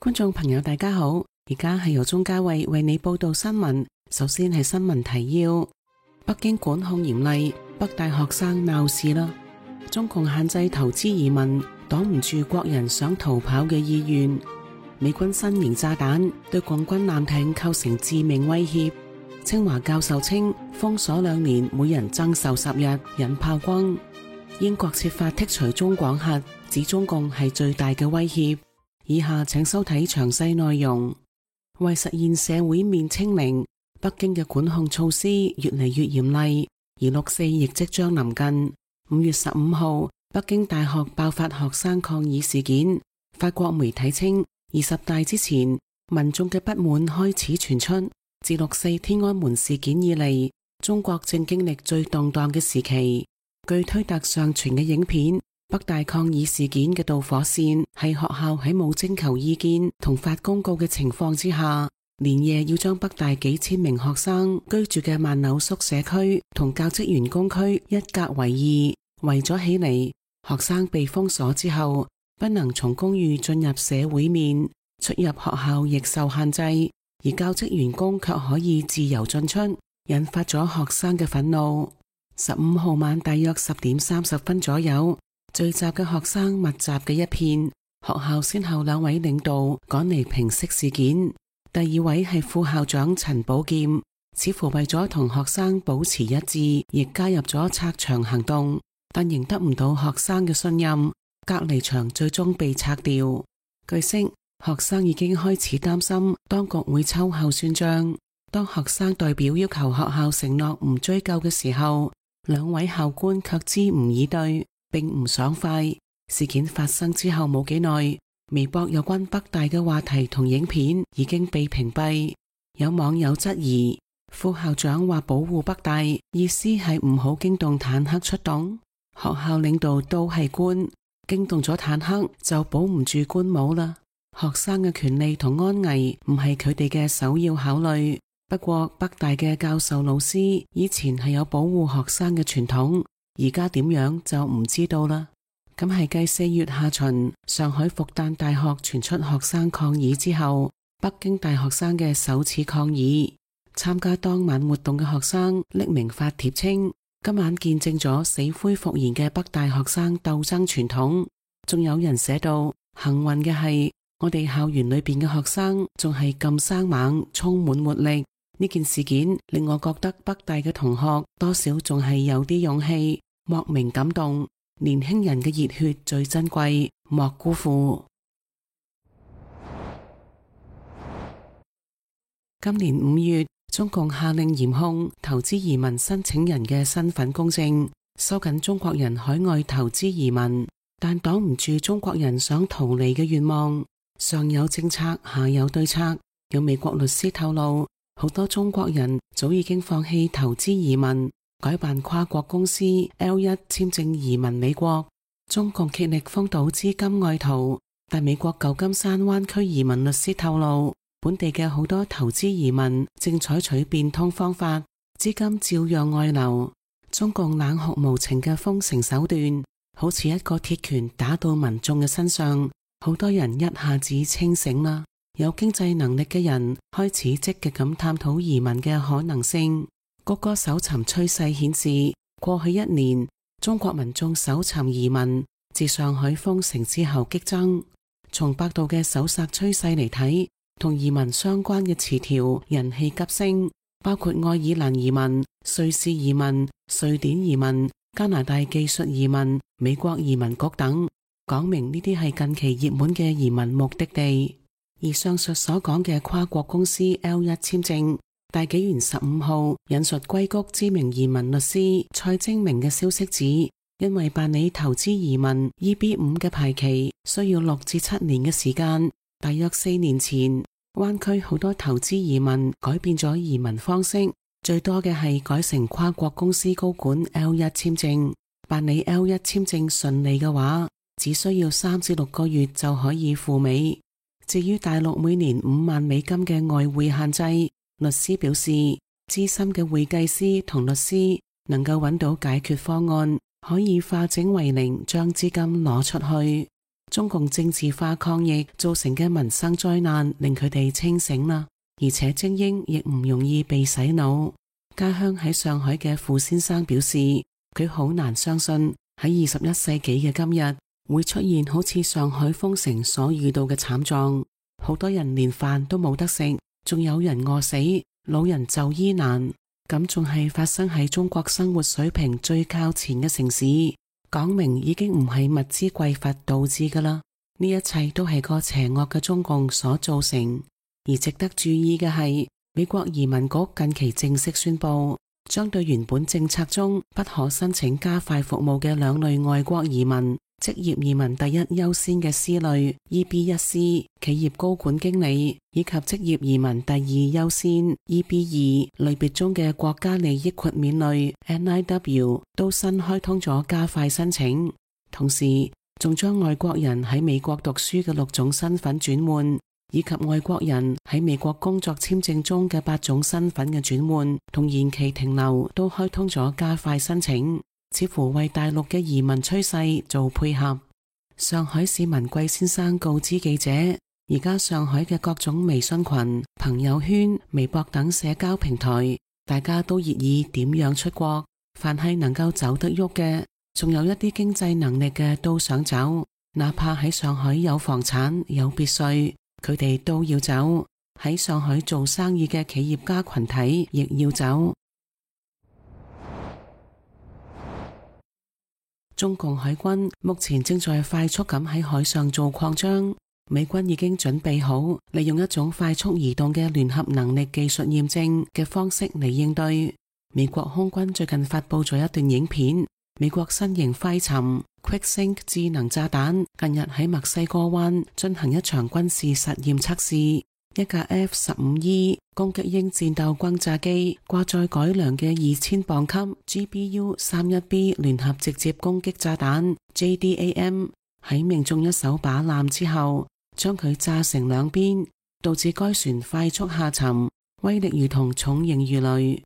觀眾朋友大家好，而家係由鍾嘉慧為你報道新聞。首先係新聞提要：北京管控嚴厲，北大學生鬧事啦。中共限制投資移民，擋唔住國人想逃跑嘅意願。美軍新型炸彈對共軍艦艇構成致命威脅。清華教授稱封鎖2年，每人增受10日，引炮轟。英國設法剔除中廣核，指中共係最大嘅威脅。以下請收睇詳細內容。為實現社會面清零，北京嘅管控措施越嚟越嚴厲，而6·4亦即將臨近。5月15號，北京大學爆發學生抗議事件。法國媒體稱，20大之前，民眾嘅不滿開始傳出。自6·4天安門事件以嚟，中國正經歷最動盪嘅時期。據推特上傳嘅影片，北大抗議事件嘅導火線係學校喺冇徵求意見同發公告嘅情況之下，連夜要將北大幾千名學生居住嘅萬柳宿舍區同教職員工區一格為2，圍咗起嚟。學生被封鎖之後，不能從公寓進入社會面，出入學校亦受限制，而教職員工卻可以自由進出，引發咗學生嘅憤怒。15號晚大約10點30分左右，聚集嘅學生密集嘅一片，學校先後2位領導趕嚟平息事件。第2位係副校長陳寶劍，似乎為咗同學生保持一致，亦加入咗拆牆行動，但仍得唔到學生嘅信任，隔離牆最終被拆掉。據悉，學生已經開始擔心當局會秋後算賬。當學生代表要求學校承諾唔追究嘅時候，2位校官卻支吾以對，並唔爽快。事件發生之後冇幾耐，微博有關北大嘅話題同影片已經被屏蔽。有網友質疑，副校長話保護北大，意思係唔好驚動坦克出動。學校領導都係官，驚動咗坦克就保唔住官帽啦。學生嘅權利同安危唔係佢哋嘅首要考慮。不過北大嘅教授老師以前係有保護學生嘅傳統，而家點樣就唔知道啦。咁係繼4月下旬上海復旦大學傳出學生抗議之後，北京大學生嘅首次抗議。參加當晚活動嘅學生匿名發帖稱，今晚見證咗死灰復燃嘅北大學生鬥爭傳統。仲有人寫到，幸運嘅係我哋校園裏邊嘅學生仲係咁生猛，充滿活力。呢件事件令我覺得北大嘅同學多少仲係有啲勇氣，莫名感動。年輕人嘅熱血最珍貴，莫辜負。今年5月，中共下令嚴控投資移民申請人嘅身份公證，收緊中國人海外投資移民，但擋唔住中國人想逃離嘅願望。上有政策，下有對策。有美國律師透露，好多中國人早已經放棄投資移民，改辦跨國公司 L1 簽證移民美國。中共竭力封堵資金外逃，但美國舊金山灣區移民律師透露，本地嘅好多投資移民正採取變通方法，資金照樣外流。中共冷酷無情嘅封城手段，好似一個鐵拳打到民眾嘅身上，好多人一下子清醒啦。有經濟能力嘅人開始積極咁探討移民嘅可能性。谷歌搜尋趨勢顯示，過去1年中國民眾搜尋移民自上海封城之後激增。從百度嘅搜索趨勢嚟睇，同移民相關嘅詞條人氣急升，包括愛爾蘭移民、瑞士移民、瑞典移民、加拿大技術移民、美國移民局等，講明呢啲係近期熱門嘅移民目的地。而上述所講嘅跨國公司 L1 簽證，大紀元15號引述硅谷知名移民律師蔡精明嘅消息指，因為辦理投資移民 EB5 嘅排期需要6至7年嘅時間，大約4年前，灣區好多投資移民改變咗移民方式，最多嘅係改成跨國公司高管 L1 簽證。辦理 L1 簽證順利嘅話，只需要3至6個月就可以赴美。至於大陸每年5萬美金嘅外匯限制，律師表示，資深嘅會計師同律師能夠揾到解決方案，可以化整為零，將資金攞出去。中共政治化抗疫造成嘅民生災難令佢哋清醒啦，而且精英亦唔容易被洗腦。家鄉喺上海嘅傅先生表示，佢好難相信喺21世紀嘅今日會出現好似上海封城所遇到嘅慘狀，好多人連飯都冇得食，仲有人餓死，老人就醫難，咁仲係發生喺中國生活水平最靠前嘅城市，講明已經唔係物資匱乏導致㗎啦，呢一切都係個邪惡嘅中共所造成。而值得注意嘅係，美國移民局近期正式宣布，將對原本政策中不可申請加快服務嘅兩類外國移民，職業移民第一優先嘅 C 類 EB1C 企業高管經理，以及職業移民第二優先 EB2 類別中嘅國家利益豁免類 NIW 都新開通咗加快申請，同時仲將外國人喺美國讀書嘅6種身份轉換，以及外國人喺美國工作簽證中嘅8種身份嘅轉換同延期停留都開通咗加快申請，似乎為大陸嘅移民趨勢做配合。上海市民季先生告知記者，而家上海嘅各種微信群、朋友圈、微博等社交平台，大家都熱議點樣出國，凡係能夠走得喐嘅，仲有一啲經濟能力嘅都想走，哪怕喺上海有房產有別墅，佢哋都要走。喺上海做生意嘅企業家群體亦要走。中共海軍目前正在快速咁喺海上做擴張，美軍已經準備好利用一種快速移動嘅聯合能力技術驗證嘅方式嚟應對。美國空軍最近發佈咗一段影片，美國新型快沉 QuickSync 智能炸彈近日喺墨西哥灣進行一場軍事實驗測試，一架 F-15E 攻擊鷹戰鬥轟炸機掛載改良嘅2000磅級 GBU-31B 聯合直接攻擊炸彈 JDAM 喺命中一艘靶艦之後，將佢炸成兩邊，導致該船快速下沉，威力如同重型魚雷。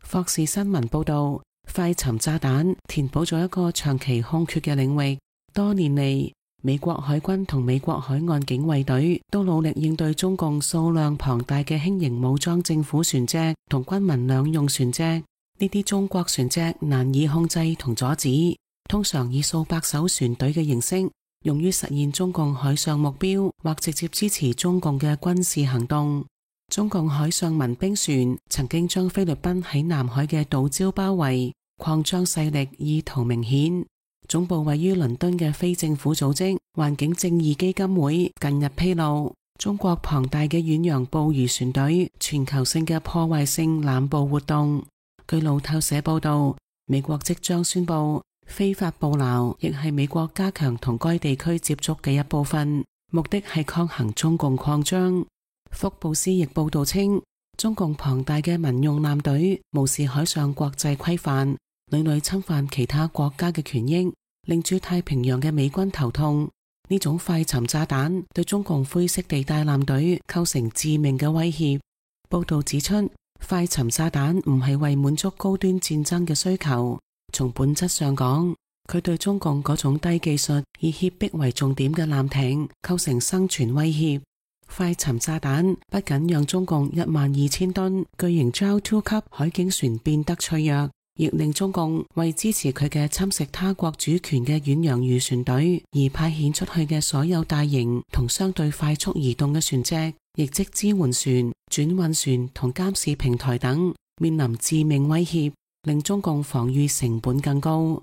霍士新聞報道，快沉炸彈填補咗一個長期空缺嘅領域。多年嚟，美國海軍同美國海岸警衛隊都努力應對中共數量龐大嘅輕型武裝政府船隻同軍民兩用船隻。呢啲中國船隻難以控制同阻止，通常以數百艘船隊嘅形式，用於實現中共海上目標或直接支持中共嘅軍事行動。中共海上民兵船曾經將菲律賓喺南海嘅島礁包圍，擴張勢力意圖明顯。總部位於倫敦嘅非政府組織環境正義基金會近日披露，中國龐大嘅遠洋捕魚船隊全球性嘅破壞性濫捕活動。據路透社報道，美國即將宣布非法捕撈亦係美國加強同該地區接觸嘅一部分，目的係抗衡中共擴張。福布斯亦報道稱，中共龐大嘅民用艦隊無視海上國際規範，屢屢侵犯其他國家嘅權益，令駐太平洋嘅美軍頭痛。呢種快沉炸彈對中共灰色地帶艦隊構成致命嘅威脅。報道指出，快沉炸彈唔係為滿足高端戰爭嘅需求，從本質上講，佢對中共嗰種低技術以脅迫為重點嘅艦艇構成生存威脅。快沉炸彈不僅讓中共12000噸巨型 JAL-2 級海警船變得脆弱，亦令中共為支持佢嘅侵蝕他國主權嘅遠洋漁船隊而派遣出去嘅所有大型同相對快速移動嘅船隻，亦即支援船、轉運船同監視平台等，面臨致命威脅，令中共防禦成本更高。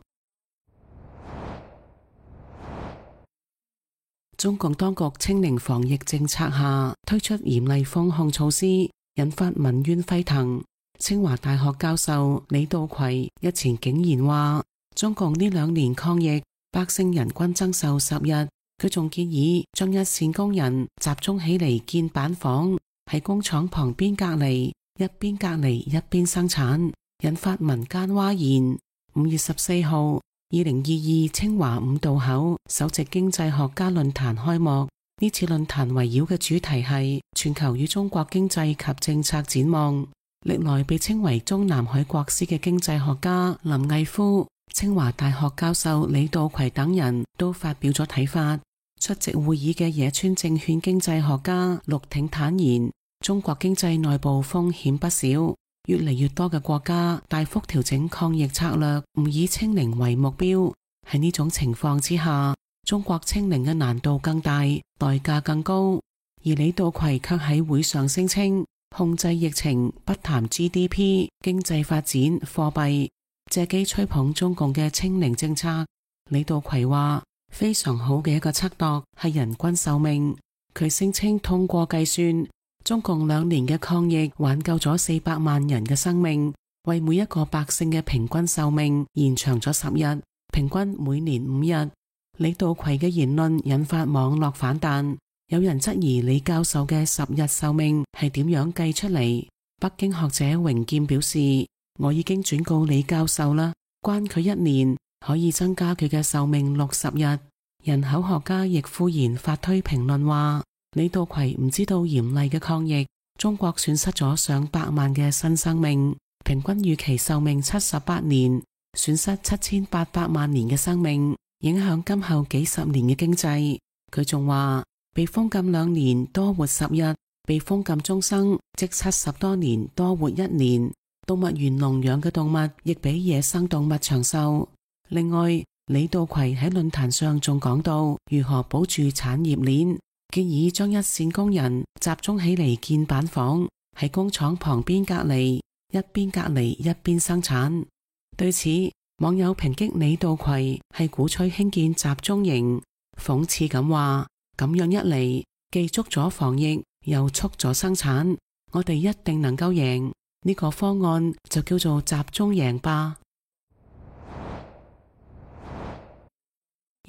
中共當局清零防疫政策下推出嚴厲封控措施，引發民怨沸騰。清華大學教授李道葵日前竟然話，中共呢2年抗疫，百姓人均增壽10日。佢仲建議將一線工人集中起嚟建板房，喺工廠旁邊隔離，一邊隔離一邊生產，引發民間譁然。5月14號2022清華五道口首席經濟學家論壇開幕。呢次論壇圍繞嘅主題係全球與中國經濟及政策展望。歷來被稱為中南海國師嘅經濟學家林毅夫、清華大學教授李道葵等人都發表咗睇法。出席會議嘅野村證券經濟學家陸挺坦言，中國經濟內部風險不少，越嚟越多嘅國家大幅調整抗疫策略，唔以清零為目標。喺呢種情況之下，中國清零嘅難度更大，代價更高。而李稻葵卻喺會上聲稱，控制疫情不談 GDP、經濟發展、貨幣，借機吹捧中共嘅清零政策。李稻葵話，非常好嘅一個測度係人均壽命。佢聲稱通過計算，中共2年嘅抗疫挽救咗400萬人嘅生命，為每一個百姓嘅平均壽命延長咗10日，平均每年5日。李稻葵嘅言論引發網絡反彈，有人質疑李教授嘅10日壽命係點樣計出嚟。北京學者榮劍表示，我已經轉告李教授啦，關佢1年可以增加佢嘅壽命60日。人口學家易富賢發推評論話，李稻葵唔知道嚴厲嘅抗疫，中國損失咗上百萬嘅新生命，平均預期壽命78年，損失7800萬年嘅生命，影響今後幾十年嘅經濟。佢仲話，被封禁2年多活10日，被封禁終生即70多年多活1年。動物園籠養嘅動物亦比野生動物長壽。另外，李稻葵喺論壇上仲講到如何保住產業鏈，建議將一線工人集中起嚟建板房，喺工廠旁邊隔離，一邊隔離一邊生產。對此，網友抨擊李稻葵係鼓吹興建集中營，諷刺咁話，咁樣一嚟，既捉咗防疫，又促咗生產，我哋一定能夠贏。呢個方案就叫做集中贏吧。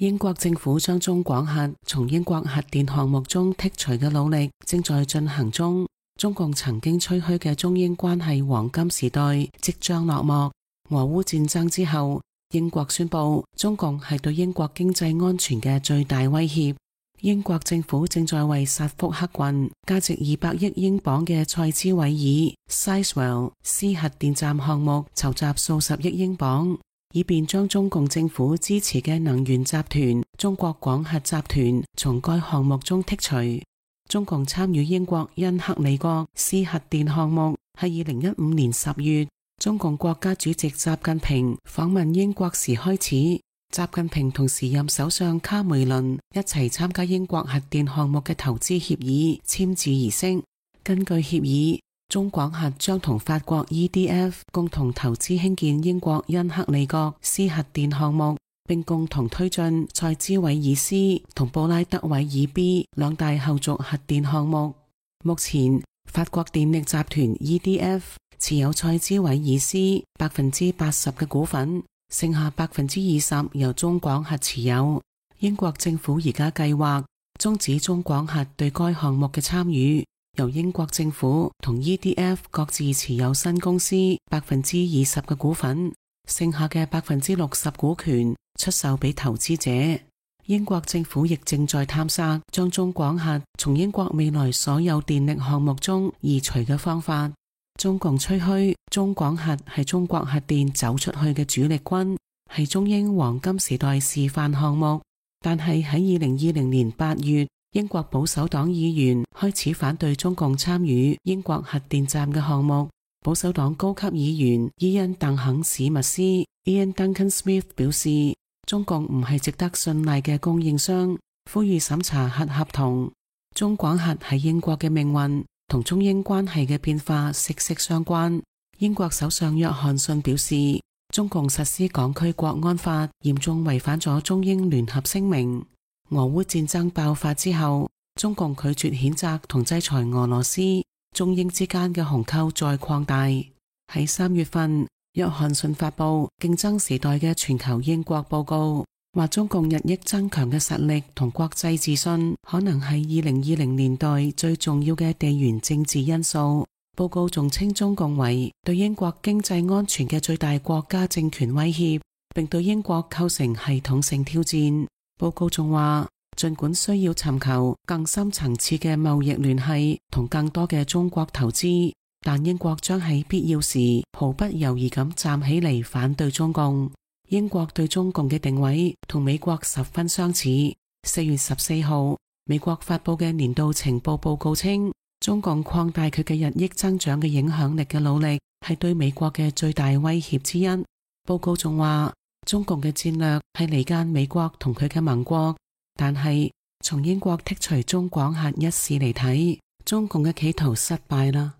英國政府將中廣核從英國核電項目中剔除嘅努力正在進行中。中共曾經吹噓嘅中英關係黃金時代即將落幕。俄烏戰爭之後，英國宣布中共係對英國經濟安全嘅最大威脅。英國政府正在為薩福克郡價值200億英鎊嘅塞茲維爾 Sizewell C 核電站項目籌集數十億英鎊，以便將中共政府支持嘅能源集團中國廣核集團從該項目中剔除。中共參與英國因克里國 C 核電項目係2015年10月，中共國家主席習近平訪問英國時開始。習近平同時任首相卡梅倫一齊參加英國核電項目嘅投資協議簽字儀式。根據協議，中廣核將同法國 EDF 共同投資興建英國因克里國 C 核電項目，並共同推進塞茲維爾 C 同布拉德韋爾 B 兩大後續核電項目。目前，法國電力集團 EDF 持有塞茲維爾 C 80%嘅股份，剩下20%由中廣核持有。英國政府而家計劃終止中廣核對該項目嘅參與，由英國政府同 EDF 各自持有新公司20%嘅股份，剩下嘅60%股權出售俾投資者。英國政府亦正在探索將中廣核從英國未來所有電力項目中移除嘅方法。中共吹噓中廣核係中國核電走出去嘅主力軍，係中英黃金時代示範項目。但係喺2020年8月，英國保守黨議員開始反對中共參與英國核電站嘅項目。保守黨高級議員伊恩·鄧肯史密斯 Ian Duncan Smith 表示，中共唔係值得信賴嘅供應商，呼籲審查核合同。中廣核係英國嘅命運同中英關係嘅變化息息相關。英國首相約翰遜表示，中共實施港區國安法嚴重違反咗中英聯合聲明。俄烏戰爭爆發之後，中共拒絕譴責同制裁俄羅斯，中英之間嘅鴻溝再擴大。喺3月份，約翰遜發布競爭時代嘅全球英國報告，話中共日益增強嘅實力同國際自信，可能係2020年代最重要嘅地緣政治因素。報告仲稱中共為對英國經濟安全嘅最大國家政權威脅，並對英國構成系統性挑戰。報告仲話，儘管需要尋求更深層次嘅貿易聯繫同更多嘅中國投資，但英國將喺必要時毫不猶豫咁站起嚟反對中共。英國對中共嘅定位同美國十分相似， 4月14號，美國發佈嘅年度情報報告稱，中共擴大佢嘅日益增長嘅影響力嘅努力係對美國嘅最大威脅之一。報告仲話，中共嘅戰略係離間美國同佢嘅盟國，但係從英國剔除中廣核一事嚟睇，中共嘅企圖失敗啦。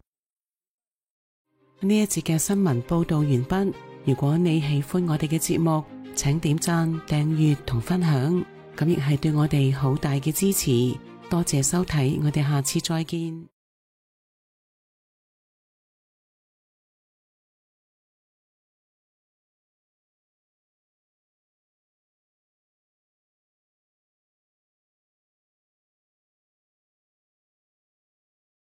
呢一節嘅新聞報道完畢。如果你喜歡我哋嘅節目，請點讚、訂閱同分享，咁亦係對我哋好大嘅支持。多謝收睇，我哋下次再見。